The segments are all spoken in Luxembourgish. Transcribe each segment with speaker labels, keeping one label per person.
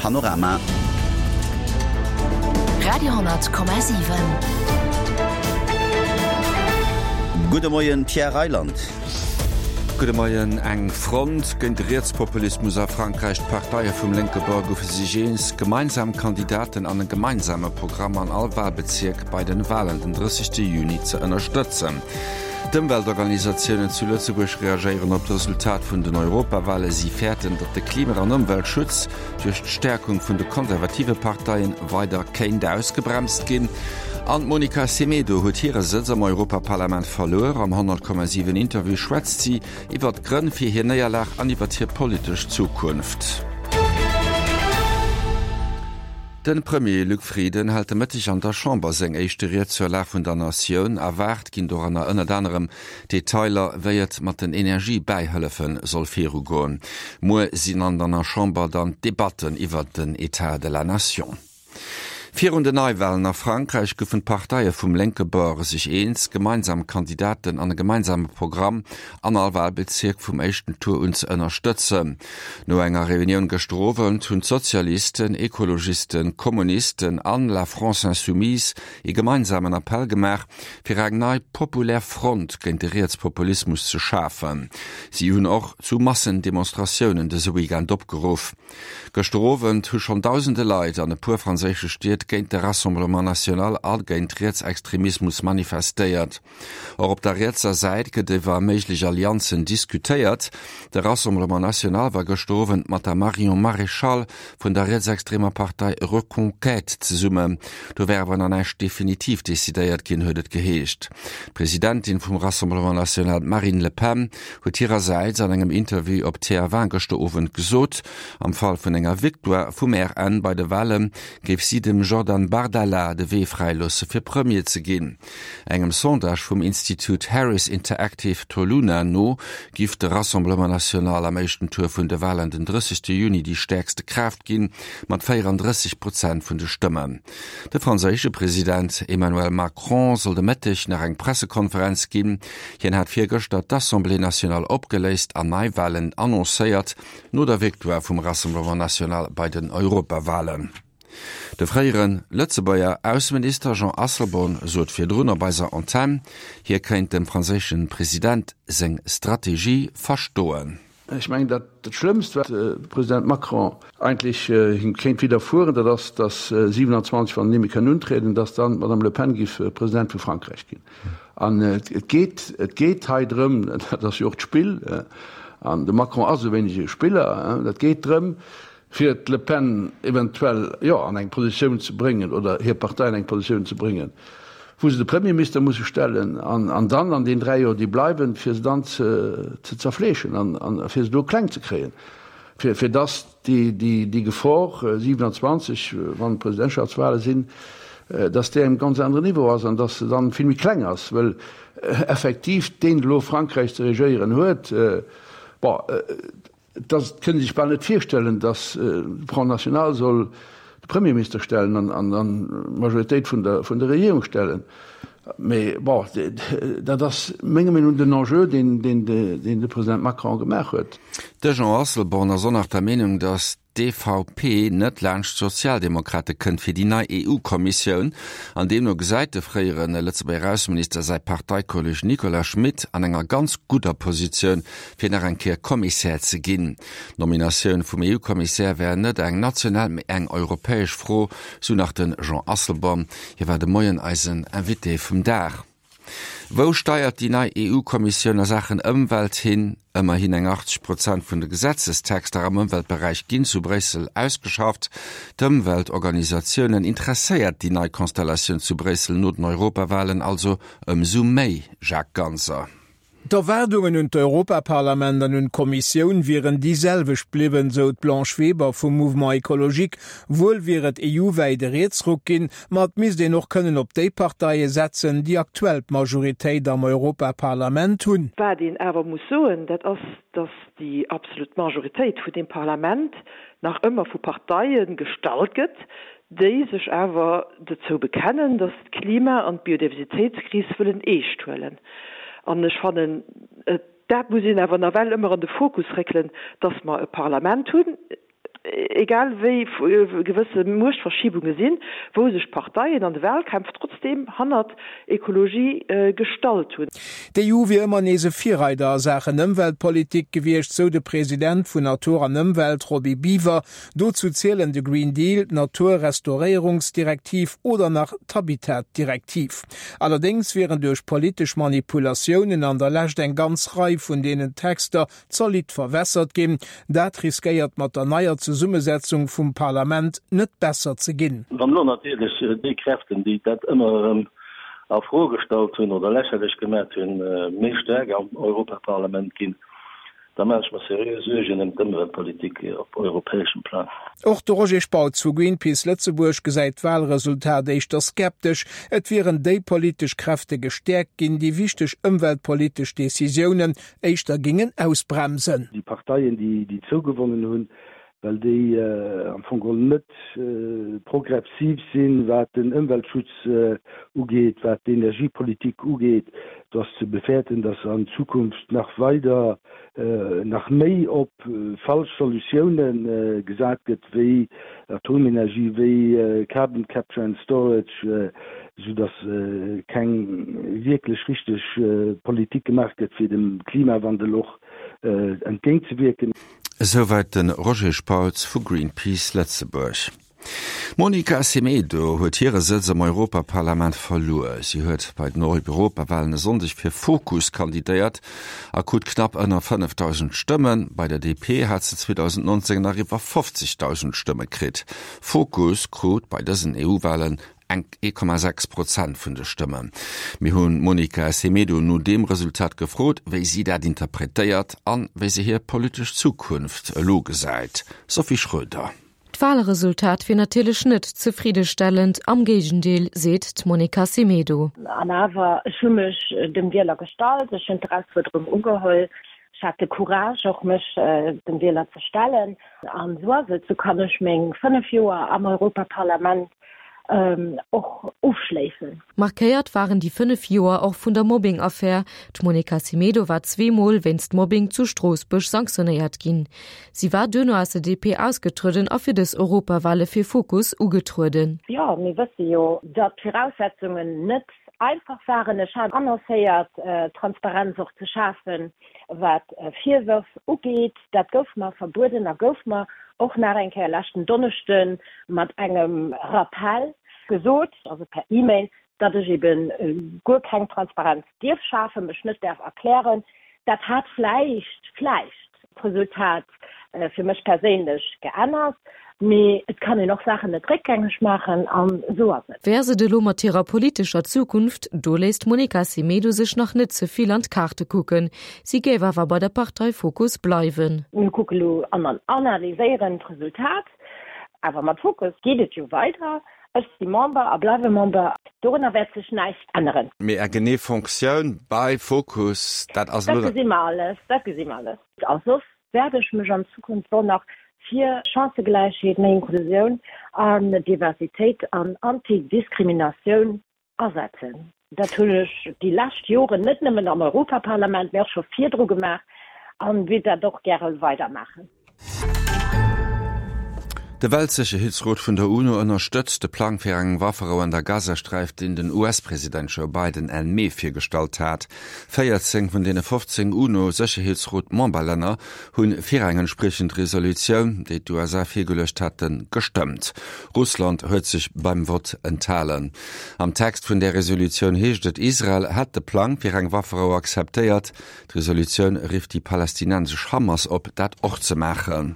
Speaker 1: Panorama.
Speaker 2: Radio,7.
Speaker 1: Gudde Moien Pierre Reyland.
Speaker 3: Gudde Moien. Eng Front géint de Rietspopulismus a Frankräich, D'Parteie vum lénke Bord goufe sech eens, gemeinsam Kandidaten an e gemeinsame Programm an all Walbezierk bei den Walen den 30 Juni ze ënnerstëtzen. D'Ëmweltorganisatiounen zu Lëtzebuerg reagéieren op d'Resultat vun den Europawale. Si fäerten, datt de Klima an Ëmweltschutz duerch d'Stäerkung vun de konservative Parteien weider kéint ausgebremst ginn. An d'Monica Semedo huet hire Sëtz am Europaparlament verluer. Am 100,7 Interview schwätzt si iwwer d'Grënn fir hir Néierlag an iwwer hir politesch Zukunft. De Premier Luc Frieden hält de Mëtteg an der Chamber seng éischte Ried zur Lag vun der Natioun. Erwaart ginn doranner ënnert anerem Detailer, wéi et mat den Energiebäihëllefe soll virugoen. Muer sinn an der Chamber dann d'Debatten iwwert den Etat de la Nation. Virun den Neiwalen a Frankräich goufen d'Parteie vum lénke Bord sech eens, gemeinsam Kandidaten an e gemeinsame Programm an all Walbezierk vum éischten Tour un ze ënnerstëtzen. No enger Reunioun gëschter Owend hunn d'Sozialisten, Ekologisten, Kommunisten an La France Insoumise ee gemeinsamen Appell gemaach, fir eng nei populär Front géint de Rietspopulismus ze schafen. Si hunn och zu Massendemonstratiounen dëse Weekend opgeruff. Gëschter Owend hu schonn dausende Leit an e puer franséische Stied géint de Rassemblement National a géint Rietsextremismus manifestéiert. Och op der rietser Säit gëtt iwwer méiglech Allianzen diskutéiert. De Rassemblement National war gëschter Owend mat der Marion Maréchal vun der rietsextremer Partei Reconquête zesummen. Do wär awer nach näischt definitiv decidéiert ginn, huet et geheescht. D'Presidentin vum Rassemblement National, d'Marine Le Pen, huet hirersäits an engem Interview op TF1 gëschter Owend gesot, am Fall vun enger Victoire vum RN bei de Wale géif si dem Jordan Bardella de Wee fräiloosse fir Premier ze ginn. Engem Sondage vum Institut Harris Interactive Toluna no giff de Rassemblement National am éischten Tour vun de Walen den 30 Juni déi stäerkste Kraaft ginn, mat 34 Prozent vun de Stëmmen. De franséische President Emmanuel Macron soll de Mëtteg nach eng Pressekonferenz ginn. Hien hat virgëschter d'Assemblée nationale opgeléist an Neiwalen annoncéiert, no der Victoire vum Rassemblement National bei den Europawalen. De fréiere Lëtzebuerger Ausseminister Jean Asselborn sot virdrun op eiser Antenn, hie kéint dem franséische President seng Strategie verstoen.
Speaker 4: Ech mengen, dat dat Schlëmmst, wat de President Macron eigentlech him kéint widderfueren, dat ass, datt 27, wann en ni méi kënn untrieden, datt dann d'Madame Le Pen géif President vu Frankräich ginn. An et geet, et geet hei drëm, dat ass jo och d'Spill, an de Macron ass e wéineg e Spiller, dat geet drëm, fir d'Le Pen eventuell, jo, an eng Positioun ze bréngen oder hir Partei an eng Positioun ze bréngen, wou se de Premierminister musse stellen an, an dann an den 3 Joer, déi bleiwen, fir se dann ze, ze zerfleeschen an, an fir se do kleng ze kréien, fir, fir dass déi, déi, déi Gefor 27, wann d'Presidentschaftswale sinn, dass déi engem ganz aneren Niveau ass an dass se dann vill méi kleng ass, well effektiv deen elo Frankräich ze regéieren huet, bon, Et kënnt ee sech bal net virstellen, datt de Front National soll de Premierminister stellen an dann d'Majoritéit vun der Regierung stellen. Mee bon, dat ass menger Meenung no den Enjeu, deen de President Macron gemaach huet.
Speaker 3: De Jean Asselborn ass och nach der Meenung, datt d'EVP net laanscht d'Sozialdemokrate kënnt fir déi nei EU-Kommissioun. An deemno gesäit de fréiere Lëtzebuerger Ausseminister säi Parteikolleg Nicolas Schmit an enger ganz gudder Positioun, fir nach eng Kéier Kommissär ze ginn. D'Nominatioun vum EU-Kommissär wär net eng national, mee eng europäesch Fro, sou nach de Jean Asselborn. Hie war de Moien eisen Invité vum Dag. Wou steiert déi nei EU-Kommissioun a Saachen Ëmwelt hin? Ëmmerhin eng 80 Prozent vun de Gesetzestexter am Ëmweltberäich ginn zu Bréissel ausgeschafft. D'Ëmweltorganisatiounen interesséiert déi nei Konstellatioun zu Bréissel no den Europawalen also ëmsou méi, Jacques Ganser.
Speaker 5: D'Erwaardungen un d'Europaparlament an un d'Kommissioun wieren déi selwecht bliwwen, sou d'Blanche Weber vum Mouvement Ecologique. Wuel wier et EU-wäit e Rietsruck ginn, ma et misst een och kënnen op déi Parteie setzen, déi aktuell d'Majoritéit am Europaparlament hunn.
Speaker 6: Wat een awer muss soen, dat ass, datt déi absolut Majoritéit vun deem Parlament nach ëmmer vu Parteie gestallt gëtt, déi sech awer dozou bekennen, datt se d'Klima an d'Biodiversitéitskris wëllen eescht huelen. An ech fannen, dat muss een awer nawell ëmmer an de Fokus réckelen, datt mer e Parlament hunn. egal wéi gewësse Muechtverschiebunge sinn, wou sech d'Parteien an de Wahlkämpf trotzdeem hannert Ekologie gestallt hunn.
Speaker 5: D'EU wier ëmmer nees e Virreider a Saachen Ëmweltpolitik gewiescht, sou de President vun Natur an Ëmwelt, Roby Biwer. Dozou zielen de Green Deal, d'Naturrestauréierungsdirektiv oder nach d'Habitatdirektiv. Allerdéngs wieren duerch politesch Manipulatiounen an der Lescht eng ganz Rei vun deenen Texter zolidd verwässert ginn. Dat riskéiert mat der neier Zesummesetzung vum Parlament net besser ze ginn.
Speaker 2: Wann elo natierlech déi Kräften, déi dat ëmmer erëm a Fro gestallt hunn oder lächerlech gemat hunn, méi staark am Europaparlament ginn, da maache ech mer seriö Suergen ëm d'Ëmweltpolitik op europäeschem Plang.
Speaker 5: Och de Roger Spautz vu Greenpeace Lëtzebuerg gesäit d'Walresultat éischter skeptesch. Et wieren déi politesch Kräfte gestäerkt ginn, déi wichteg ëmweltpolitesch Decisiounen éischter gingen ausbremsen.
Speaker 7: Déi Parteien, déi zougewonnen hunn, well déi am Fong geholl net progressiv sinn, wat den Ëmweltschutz ugeet, wat d'Energiepolitik ugeet. Do ass ze befäerten, datt an Zukunft nach weider, nach méi op falsch Solutioune gesat gëtt, wéi Atomenergie, wéi Carbon Capture and Storage, soudatt keng wierklech richteg Politik gemaach gëtt, fir dem Klimawandel och entgéintzewierken.
Speaker 3: Esouwäit de Roger Spautz vu Greenpeace Lëtzebuerg. D'Monica Semedo huet hire Sëtz am Europaparlament verluer. Si huet bei den Europawalen e Sonndeg fir Fokus kandidéiert a krut knapp ënner 5.000 Stëmmen. Bei der DP hat se 2019 nach iwwer 50.000 Stëmme kritt. Fokus krut bei dësen EU-Walen Enk 1,6 Prozent vun de Stëmmen. Mir hunn d'Monica Semedo no deem Resultat gefrot, wéi si dat interpretéiert an wéi se hir politesch Zukunft elo gesäit. Sophie Schroeder.
Speaker 8: D'Walresultat wier natierlech net zefriddestellend, am Géigendeel, seet d'Monica Semedo.
Speaker 9: An awer, ech hu mech dem Wieler gestallt, ech hunn d'Erausfuerderung ugeholl, ech hat de Courage och mech dem Wieler ze stellen. An esou ass et, esou kann ech meng 5 Joer am Europaparlament och ofschléissen.
Speaker 8: Markéiert waren déi 5 Joer och vun der Mobbing-Affär. D'Monica Semedo war zweemol wéinst Mobbing zu Stroossbuerg sanktionéiert ginn. Si war duerno aus der DP ausgetrueden a fir dës Europawale fir Fokus ugetrueden.
Speaker 9: Jo, mir wësse jo, datt d'Viraussetzungen net einfach waren. Ech hat annoncéiert, Transparenz och ze schafen, wat Virwërf ugeet. Dat gouf mer verbueden a gouf mer och nach eng Kéier leschten Donneschde mat engem Rappel gesot, also per E-Mail, datt ech ebe guer keng Transparenz dierf schafen, mech net däerf erklären. Dat hat vläicht, vläicht d'Resultat fir mech perséinlech geännert, mee et kann een och Saachen net réckgängeg maachen an esou ass et.
Speaker 8: Wéi ass et elo mat hirer politescher Zukunft? Do léisst d'Monica Semedo sech nach net ze vill an d'Kaarte kucken. Si géif awer bei der Partei Fokus bleiwen.
Speaker 9: Mir kucke lo an analyséieren d'Resultat, awer mat Fokus geet et jo weider. Ech si Member a bleiwe Member, dorunner wäert sech näischt änneren.
Speaker 3: Mee eng genee Fonctioun bei Fokus, dat ass elo.
Speaker 9: Dat gesi mer alles, dat gesi mer alles. A soss wäert ech mech an Zukunft och nach fir Chancëgläichheet, méi Inklusioun an Diversitéit an Antidiskriminatioun asetzen. Dat hunn ech déi lescht Joren net nëmmen am Europaparlament, mä och scho virdru gemaach an wéilt dat och gäre weidermaachen.
Speaker 3: De Weltsécherheetsrot vun der UNO ënnerstëtzt de Plang fir eng Wafferou an der Gazasträif, deen den US-President Joe Biden Enn Mee virgestallt hat. 14 vun deene 15 UNO-Sécherheetsrot-Memberlänner hu fir eng entspriechend Resolutioun, déi d'USA virgeluecht haten, gestëmmt. Russland huet sech beim Vott enthalen. Am Text vun där Resolutioun heescht et, Israel hätt de Plang fir eng Wafferou akzeptéiert. D'Resolutioun rifft déi palästinensesch Hamas op, dat och ze maachen.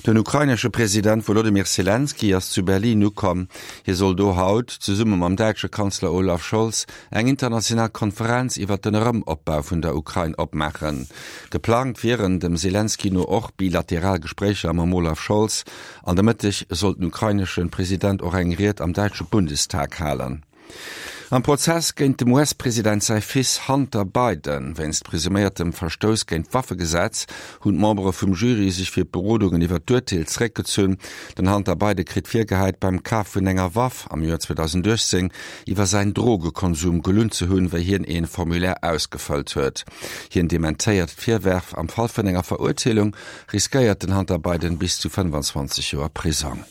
Speaker 3: Den ukrainesche President Wolodymyr Selenskyj ass zu Berlin ukomm. Hie soll do haut, zesumme mam däitsche Kanzler Olaf Scholz, eng international Konferenz iwwer den Erëmopbau vun der Ukrain opmaachen. Geplangt wieren dem Selenskyj no och bilateral Gespréicher mam Olaf Scholz. An de Mëtteg soll den ukrainesche President och eng Ried am däitsche Bundestag halen. Am Prozess géint dem US-President säi Fils Hunter Biden wéinst presuméiertem Verstouss géint d'Waffegesetz hunn d'Membere vum Jury sech fir d'Berodungen iwwer d'Urteel zeréckgezunn. Den Hunter Biden kritt virgehäit, beim Kaf vun enger Waff am Joer 2018 iwwer säin Drogekonsum gelunn ze hunn, wéi hien ee Formulaire ausgefëllt huet. Hien dementéiert d'Virwerf. Am Fall vun enger Verurteelung riskéiert den Hunter Biden bis zu 25 Joer Prisong.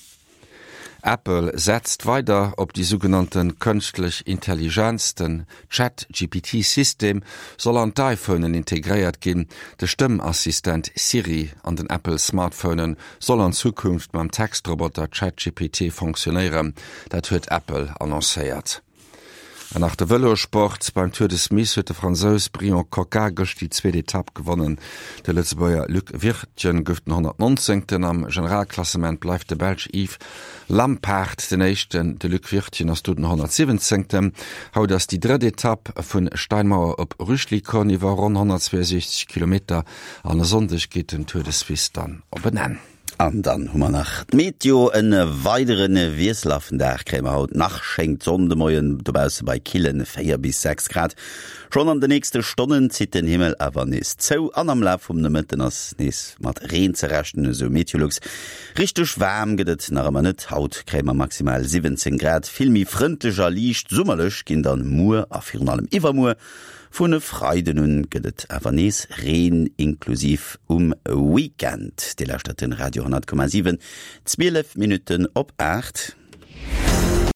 Speaker 3: Apple setzt weider op déi sougenannte kënschtlech Intelligenz. Den Chat-GPT-System soll an d'iPhonen integréiert ginn. De Stëmmassistent Siri an den Apple-Smartphonen soll an Zukunft mam Textroboter ChatGPT fonctionnéieren. Dat huet Apple annoncéiert. An nach de Vëlossport, Beim Tour de Suisse huet de Fransous Bryon Coquard gëscht déi zweet Etapp gewonnen. De Lëtzebuerger Luc Wirtgen gouf den 119. Am Generalklassement bleift de Belsch Yves Lampaert den Éischten, de Luc Wirtgen ass do den 117. Haut ass déi drëtt Etapp vun Steinmauer op Rüschlikon iwwer ronn 162 Kilometer an e Sonndeg geet den Tour de Suisse dann op en Enn.
Speaker 1: An dann hu mer nach d'Meteo, E weidere wiesselhaften Dag kréie mer haut nach, schéngt d'Sonn de Moien dobausse bei kille 4 bis 6 Grad. Schonn an de nächste Stonnen zitt den Himmel awer nees zou an am Laf vum Nomëtten ass nees mat Reen ze rechnen, esou Meteolux. Richteg waarm gëtt et nach ëmmer net, haut kréie mer maximal 17 Grad. Vill méi frëndlech a liicht summerlech ginn dann muer a virun allem iwwermuer. Vun e Freiden un gëtt et awer nees Reen, inklusiv um Weekend. Dir lauschtert den Radio 10,7, 12 Minutten op 8.